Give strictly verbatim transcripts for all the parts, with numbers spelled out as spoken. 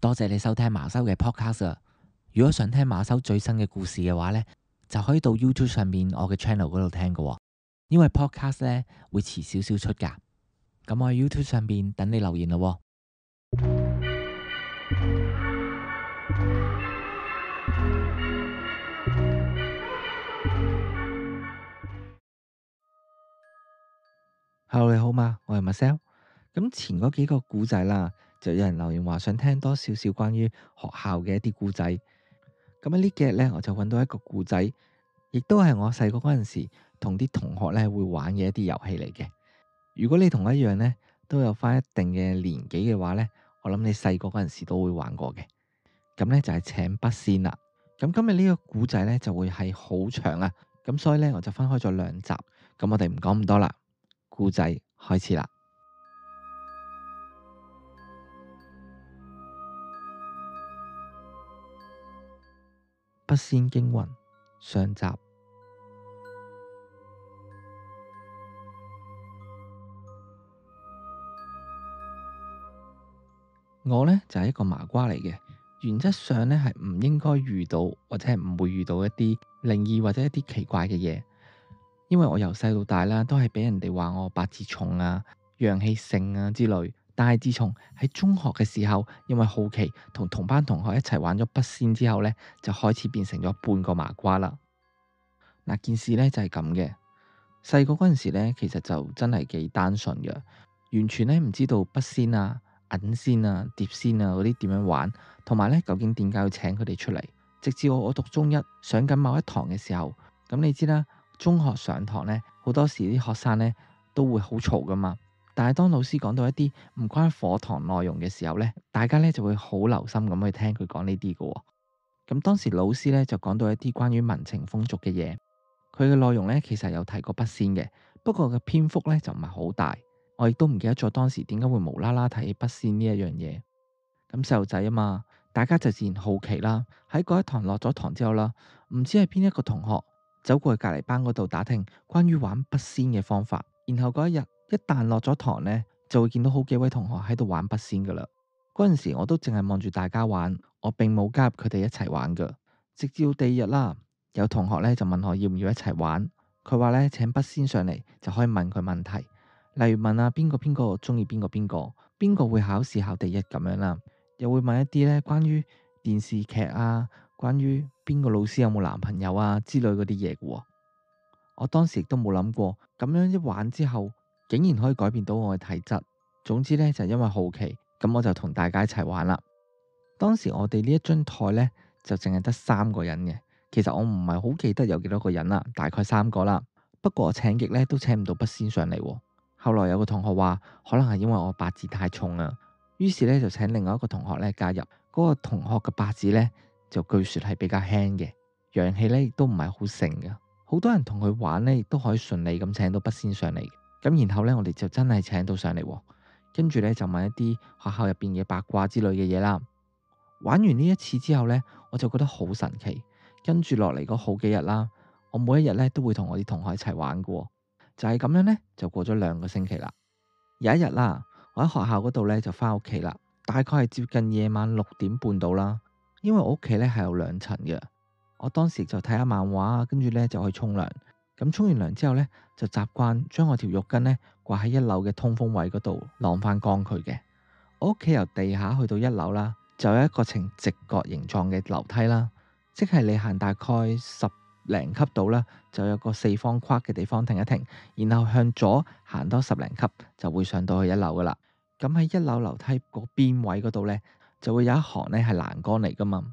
多謝你收聽馬修嘅 podcast 啊！如果想聽馬修最新嘅故事嘅話呢，就可以到 YouTube 上面我嘅 channel 嗰度聽㗎喎。因為 podcast 呢會遲少少出㗎。咁我喺 YouTube 上面等你留言咯喎。Hello，你好嘛？我係 Marcel。咁前嗰幾個故仔啦，就有人留言話想聽多少少關於學校嘅一啲故仔。咁喺呢幾日呢，我就揾到一個故仔，亦都係我細個嗰陣時同啲同學呢會玩嘅一啲遊戲嚟嘅。如果你同我一樣呢，都有翻一定嘅年紀嘅話呢，我諗你細個嗰陣時都會玩過嘅。咁呢就係請筆仙啦。咁今日呢個故仔呢就會係好長啊，咁所以呢，我就分開咗兩集。咁我哋唔講咁多啦，故仔開始啦。筆仙驚魂上集。我呢就係一個麻瓜嚟嘅，原則上呢係唔應該遇到或者係唔會遇到一啲靈異或者一啲奇怪嘅嘢，因為我由細到大啦都係俾人哋話我八字重啊、陽氣盛啊之類。但係自從喺中學嘅時候，因為好奇同同班同學一齊玩咗筆仙之後呢，就開始變成咗半個麻瓜啦。嗱，件事呢就係咁嘅。細個嗰陣時呢，其實就真係幾單純嘅，完全呢唔知道筆仙啊、銀仙啊、碟仙啊嗰啲點樣玩，同埋呢究竟點解要請佢哋出嚟。直至我我讀中一上緊某一堂嘅時候，咁你知啦，中學上堂呢，好多時啲學生呢都會好嘈噶嘛。但係當老師講到一啲唔關課堂內容嘅時候呢，大家呢就會好留心咁去聽佢講呢啲嘅。咁當時老師呢就講到一啲關於民情風俗嘅嘢，佢嘅內容呢其實有提過筆仙嘅，不過嘅篇幅呢就唔係好大。我亦都唔記得咗當時點解會無啦啦提起筆仙呢一樣嘢。咁細路仔啊嘛，大家就自然好奇啦。喺嗰一堂落咗堂之後啦，唔知係邊一個同學走過去隔籬班嗰度打聽關於玩筆仙嘅方法，然後嗰一日一旦落咗堂呢，就會見到好幾位同學喺度玩筆仙噶啦。嗰陣時我都淨係望住大家玩，我並冇加入佢哋一齊玩噶。直至到第二日啦，有同學呢就問我要唔要一齊玩，佢話呢，請筆仙上嚟就可以問佢問題，例如問啊邊個邊個中意邊個邊個，邊個會考試考第一咁樣啦，又會問一啲呢關於電視劇啊，關於邊個老師有冇男朋友啊之類嗰啲嘢嘅。我當時亦都冇諗過，咁樣一玩之後，竟然可以改變到我嘅體質。總之呢，就因為好奇，咁我就同大家一齊玩啦。當時我哋呢一張台呢，就淨係得三個人嘅，其實我唔係好記得有幾多個人啦，大概三個啦。不過我請極呢都請唔到筆仙上嚟。後來有個同學話，可能係因為我八字太重啦，於是呢就請另外一個同學呢加入。嗰個同學嘅八字呢，就據說係比較輕嘅，陽氣呢亦都唔係好盛嘅。好多人同佢玩呢，亦都可以順利咁請到筆仙上嚟。咁然後呢，我哋就真係請到上嚟，跟住呢，就問一啲學校入邊嘅八卦之類嘅嘢啦。玩完呢一次之後呢，我就覺得好神奇。跟住落嚟嗰好幾日啦，我每一日呢都會同我啲同學一齊玩嘅，就係咁樣呢，就過咗兩個星期啦。有一日啦，我喺學校嗰度呢就翻屋企啦，大概係接近夜晚六點半到啦。因為我屋企呢係有兩層嘅。我當時就睇下漫畫，跟住呢就去沖涼。咁沖完涼之後呢，就習慣將我條浴巾呢掛喺一樓嘅通風位嗰度晾翻乾佢嘅。我屋企由地下去到一樓啦，就有一個呈直角形狀嘅樓梯啦，即係你行大概十零級度啦，就有個四方框嘅地方停一停，然後向左行多十零級就會上到去一樓噶啦。咁喺一樓樓梯個邊位嗰度呢，就會有一行呢係欄杆嚟噶嘛。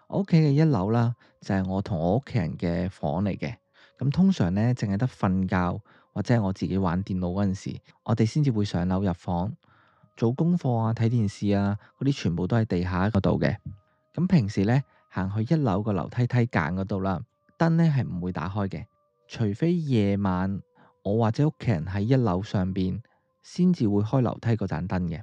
我屋企嘅一樓啦，就係我同我屋企人嘅房嚟嘅。咁通常呢，淨係得瞓覺或者係我自己玩電腦嗰陣時，我哋先至會上樓入房做功課啊、睇電視啊，嗰啲全部都喺地下嗰度嘅。咁平時呢，行去一樓個樓梯梯間嗰度啦，燈呢係唔會打開嘅，除非夜晚我或者屋企人喺一樓上邊，先至會開樓梯嗰盞燈嘅。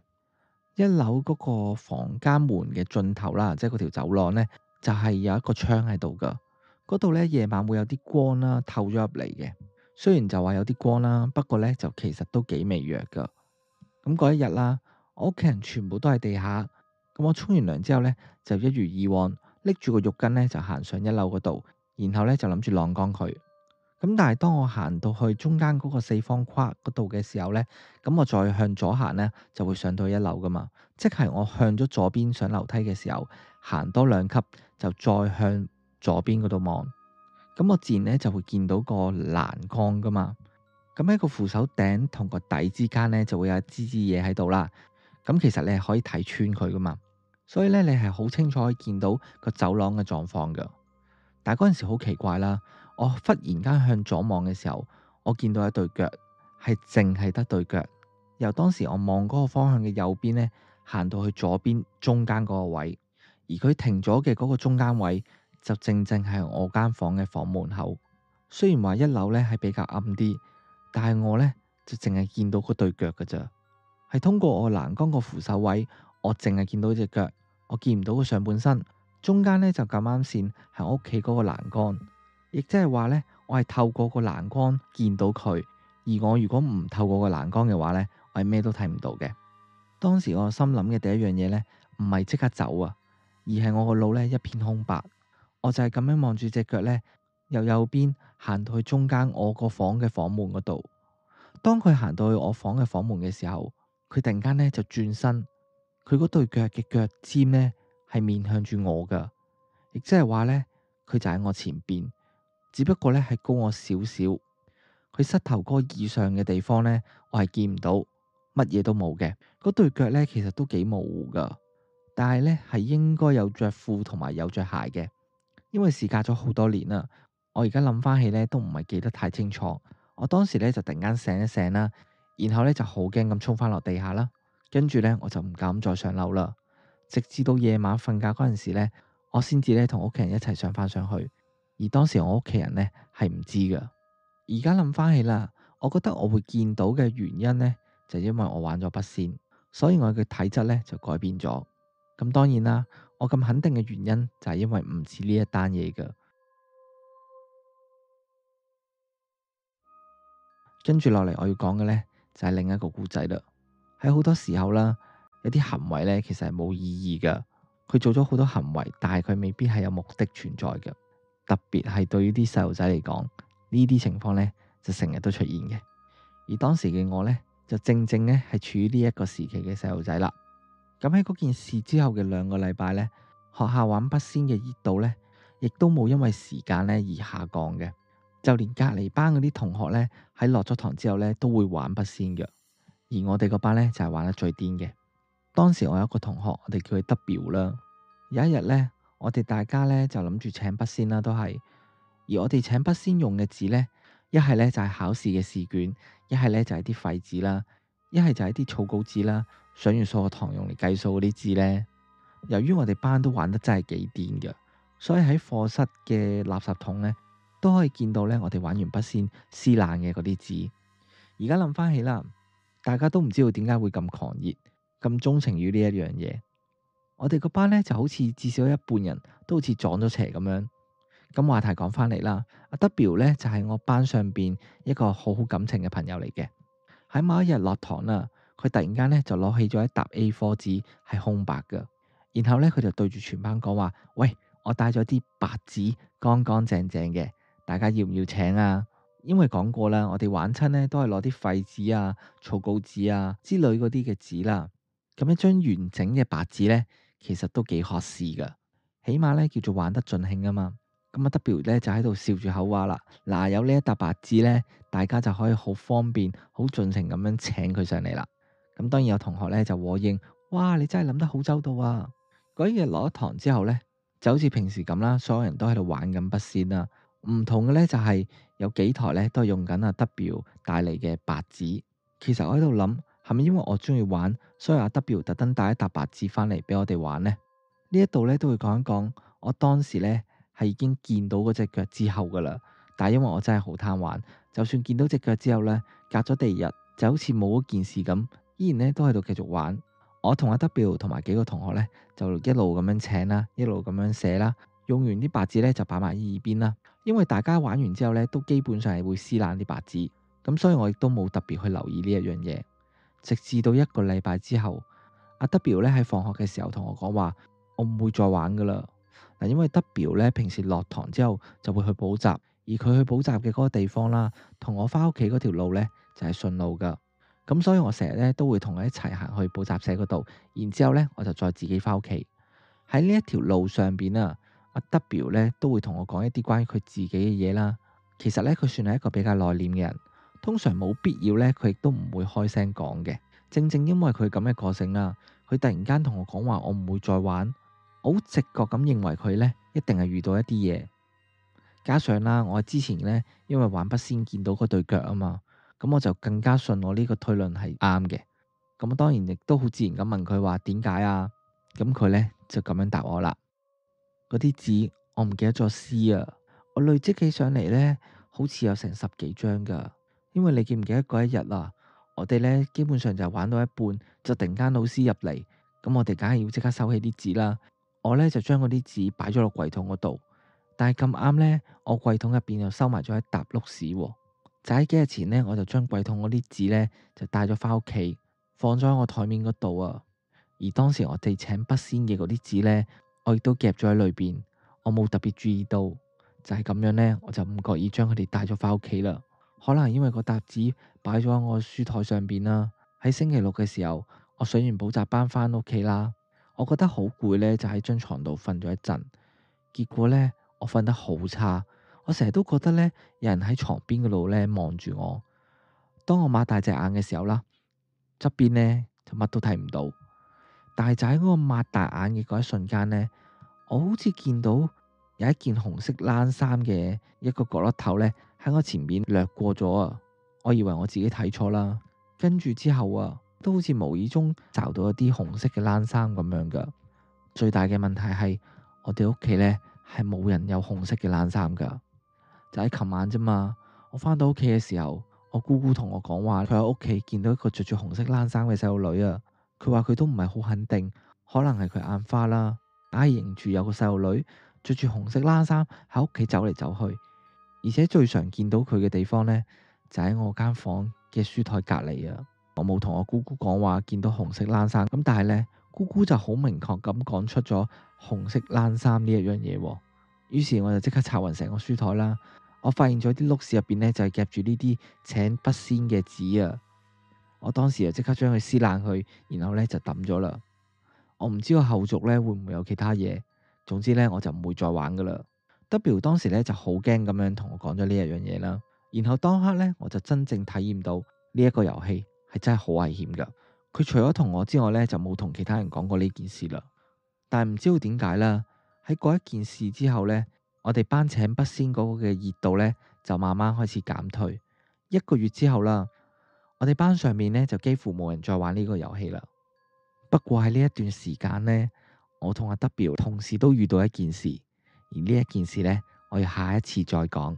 一樓嗰個房間門嘅盡頭啦，即係嗰條走廊呢，就係有一個窗喺度噶。嗰度呢，夜晚會有啲光啦，透咗入嚟嘅。雖然就話有啲光啦，不過呢，就其實都幾微弱噶。咁嗰一日啦，我屋企人全部都喺地下，咁我沖完涼之後呢，就一如以往拎住個浴巾呢，就行上一樓嗰度，然後呢，就諗住晾乾佢。咁但係當我行到去中間嗰個四方框嗰度嘅時候呢，咁我再向左行呢，就會上到一樓噶嘛。即係我向咗左邊上樓梯嘅時候，行多兩級就再向左邊嗰度望，咁我自然呢，就會見到個欄杆噶嘛。咁喺個扶手頂同個底之間呢，就會有一支支嘢喺度啦。咁其實你係可以睇穿佢噶嘛，所以呢，你係好清楚可以見到個走廊嘅狀況噶。但係嗰陣時好奇怪啦，我忽然間向左望嘅時候，我見到一對腳，係淨係得對腳。由當時我望嗰個方向嘅右邊呢，行到去左邊中間嗰個位，而佢停咗嘅嗰個中間位就正正係我間房嘅房門口。雖然話一樓呢係比較暗啲，但係我呢就淨係見到嗰對腳㗎咋，係通過我欄杆個扶手位，我淨係見到隻腳，我見唔到個上半身。中間呢就咁啱線係我屋企嗰個欄杆，亦即係話呢，我係透過個欄杆見到佢。而我如果唔透過個欄杆嘅話呢，我係咩都睇唔到嘅。當時我心諗嘅第一樣嘢呢，唔係即刻走啊，而係我個腦呢一片空白。我就係咁樣望住隻腳呢，由右邊行到去中間我個房嘅房門嗰度。當佢行到去我房嘅房門嘅時候，佢突然間呢就轉身，佢嗰對腳嘅腳尖呢係面向住我噶，亦即係話呢，佢就喺我前邊，只不過呢係高我少少。佢膝頭哥以上嘅地方呢，我係見唔到，乜嘢都冇嘅。嗰對腳呢其實都幾模糊噶，但係呢係應該有着褲同埋有着鞋嘅，因為事隔咗好多年啦。我而家諗翻起呢都唔係記得太清楚。我當時呢就突然間醒一醒啦，然後呢就好驚咁衝翻落地下啦，跟住呢我就唔敢再上樓啦。直至到夜晚瞓覺嗰陣時呢，我先至呢同屋企人一齊上翻上去，而當時我屋企人呢係唔知噶。而家諗翻起啦，我覺得我會見到嘅原因呢，就係因為我玩咗筆仙，所以我嘅體質呢就改變咗。咁當然啦，我咁肯定嘅原因就係因為唔似呢一單嘢噶。跟住落嚟我要講嘅呢，就係另一個故仔啦。喺好多時候啦，有啲行為呢其實係冇意義噶，佢做咗好多行為，但係佢未必係有目的存在嘅。特別係對於啲細路仔嚟講，呢啲情況呢就成日都出現嘅。而當時嘅我呢，就正正呢係處於呢一個時期嘅細路仔啦。咁喺嗰件事之後嘅兩個禮拜呢，學校玩筆仙嘅熱度呢，亦都冇因為時間呢而下降嘅。就連隔離班嗰啲同學呢，喺落咗堂之後呢，都會玩筆仙嘅。而我哋個班呢，就係玩得最癲嘅。當時我有一個同學，我哋叫佢 W 啦。有一日呢，我哋大家呢，就諗住請筆仙啦，都係。而我哋請筆仙用嘅紙呢，一係呢就係考試嘅試卷，一係呢就係啲廢紙啦，一係就係啲草稿紙啦，上完數學堂用嚟計數嗰啲紙呢。由於我哋班都玩得真係幾癲嘅，所以喺課室嘅垃圾桶呢，都可以見到呢我哋玩完筆仙撕爛嘅嗰啲紙。而家諗翻起啦，大家都唔知道點解會咁狂熱，咁鍾情於呢一樣嘢。我哋個班呢，就好似至少一半人都好似撞咗邪咁樣。咁話題講翻嚟啦，阿 W 呢，就係我班上邊一個好好感情嘅朋友嚟嘅。喺某一日落堂啦，佢突然間呢，就攞起咗一沓 A 四 紙係空白嘅，然後呢，佢就對住全班講話：喂，我帶咗啲白紙，乾乾淨淨嘅，大家要唔要請啊？因為講過啦，我哋玩親呢都係攞啲廢紙啊、草稿紙啊之類嗰啲嘅紙啦。咁一張完整嘅白紙呢，其實都幾可視噶，起碼呢叫做玩得盡興啊嘛。咁阿 W 呢就喺度笑住口話啦：嗱，有呢一沓白紙呢，大家就可以好方便、好盡情咁樣請佢上嚟啦。咁當然有同學呢就和應：哇，你真係諗得好周到啊！嗰日落咗堂之後呢，就好似平時咁啦，所有人都喺度玩緊筆仙啦。唔同嘅呢，就係有幾台呢都係用緊阿 W 帶嚟嘅白紙。其實我喺度諗，係咪因為我中意玩，所以阿 W 特登帶一沓白紙翻嚟俾我哋玩呢？呢一度呢都會講一講，我當時呢係已經見到嗰隻腳之後噶啦。但係因為我真係好貪玩，就算見到隻腳之後呢，隔咗第二日就好似冇嗰件事咁，依然呢都喺度繼續玩。我同阿 W 同埋幾個同學呢，就一路咁樣請啦，一路咁樣寫啦。用完啲白紙呢，就擺埋喺耳邊啦。因為大家玩完之後呢，都基本上係會撕爛啲白紙，咁所以我亦都冇特別去留意呢一樣嘢。直至到一個禮拜之後，阿 W 咧喺放學嘅時候同我講話，我唔會再玩噶啦。嗱，因為 W 咧平時落堂之後就會去補習，而佢去補習嘅嗰個地方啦，同我翻屋企嗰條路咧就係順路噶。咁所以我成日咧都會同佢一齊行去補習社嗰度，然之後咧我就再自己翻屋企。喺呢一條路上邊啊，阿 W 咧都會同我講一啲關於佢自己嘅嘢啦。其實咧佢算係一個比較內斂嘅人，通常冇必要咧佢亦都唔會開聲講嘅。正正因為佢咁嘅個性啦，佢突然間同我講話我唔會再玩，我好直覺咁認為佢咧一定係遇到一啲嘢。加上啦，我之前咧因為玩筆仙見到嗰對腳啊嘛，咁我就更加信我呢個推論係啱嘅。咁我當然亦都好自然咁問佢話點解啊？咁佢咧就咁樣答我啦。嗰啲字我唔記得咗撕啊，我累積起上嚟咧，好似有成十幾張噶。因為你記唔記得嗰一日啊？我哋咧基本上就玩到一半，就突然間老師入嚟，咁我哋梗係要即刻收起啲紙啦。我咧就將嗰啲紙擺咗落櫃桶嗰度，但係咁啱咧，我櫃桶入邊又收埋咗一沓碌屎喎。就喺幾日前咧，我就將櫃桶嗰啲紙咧就帶咗翻屋企，放咗喺我台面嗰度啊。而當時我哋請筆仙嘅嗰啲紙咧，我亦都夾咗喺裏邊，我冇特別注意到，就係咁樣咧，我就唔覺意將佢哋帶咗翻屋企啦。可能因為個沓紙擺咗喺我書台上邊啦。喺星期六嘅時候，我上完補習班翻屋企啦，我覺得好攰咧，就喺張床度瞓咗一陣。結果咧，我瞓得好差，我成日都覺得咧有人喺床邊嗰度咧望住我。當我擘大隻眼嘅時候啦，側邊咧就乜都睇唔到。但係就喺嗰個擘大眼嘅嗰一瞬間咧，我好似見到有一件紅色冷衫嘅一個角落頭咧喺我前面掠過咗啊！我以為我自己睇錯啦，跟住之後啊，都好似無意中找到一啲紅色嘅冷衫咁樣噶。最大嘅問題係我哋屋企咧係冇人有紅色嘅冷衫噶。就喺琴晚啫嘛，我翻到屋企嘅時候，我姑姑同我講話，佢喺屋企見到一個着住紅色冷衫嘅細路女啊。佢話佢都唔係好肯定，可能係佢眼花啦，硬係認住有個細路女着住紅色冷衫喺屋企走嚟走去，而且最常見到佢嘅地方咧就喺我間房嘅書台隔籬啊。我冇同我姑姑講話見到紅色冷衫，咁但係咧姑姑就好明確咁講出咗紅色冷衫呢一樣嘢。於是我就即刻拆勻成個書台啦。我發現咗啲碌屎入邊咧就係夾住呢啲請筆仙嘅紙啊。我當時就即刻將佢撕爛佢，然後咧就抌咗啦。我唔知個後續咧會唔會有其他嘢，總之咧我就唔會再玩噶啦。W 當時咧就好驚咁樣同我講咗呢一樣嘢啦。然後當刻咧我就真正體驗到呢一個遊戲係真係好危險噶。佢除咗同我之外咧就冇同其他人講過呢件事啦。但係唔知道點解啦，喺嗰一件事之後咧，我哋班請筆仙嗰個嘅熱度咧就慢慢開始減退。一個月之後啦，我哋班上面咧就幾乎冇人再玩呢個遊戲啦。不過喺呢一段時間咧，我同阿 W 同時都遇到一件事，而呢一件事咧，我要下一次再講。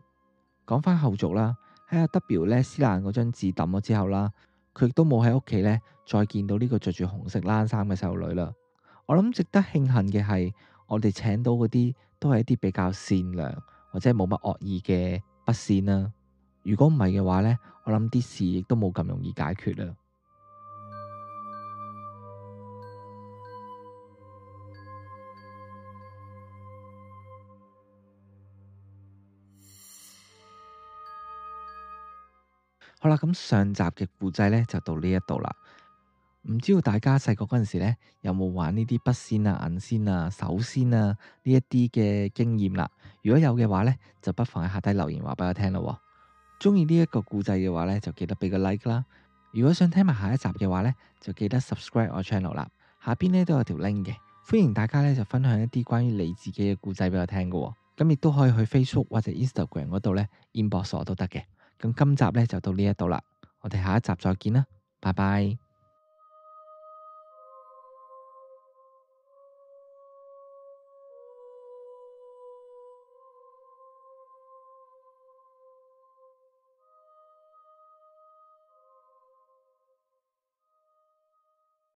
講翻後續啦，喺阿 W 咧撕爛嗰張紙抌咗之後啦，佢亦都冇喺屋企咧再見到呢個着住紅色冷衫嘅細路女啦。我諗值得慶幸嘅係，我哋請到嗰啲都係一啲比較善良或者冇乜惡意嘅筆仙啦。如果唔係嘅話咧，我諗啲事亦都冇咁容易解決啦。好啦，咁上集嘅故仔咧就到呢一度啦。唔知道大家細個嗰陣時咧有冇玩呢啲筆仙啊、銀仙啊、手仙啊呢一啲嘅經驗啦？如果有嘅話咧，就不妨喺下低留言話俾我聽咯。中意呢一個故仔嘅話咧，就記得俾個 like 啦。如果想聽埋下一集嘅話咧，就記得 subscribe 我 channel 啦。下邊咧都有條 link 嘅，歡迎大家咧就分享一啲關於你自己嘅故仔俾我聽嘅。咁亦都可以去 Facebook 或者 Instagram 嗰度咧 inbox 我都得嘅。咁今集咧就到呢一度啦，我哋下一集再見啦，拜拜。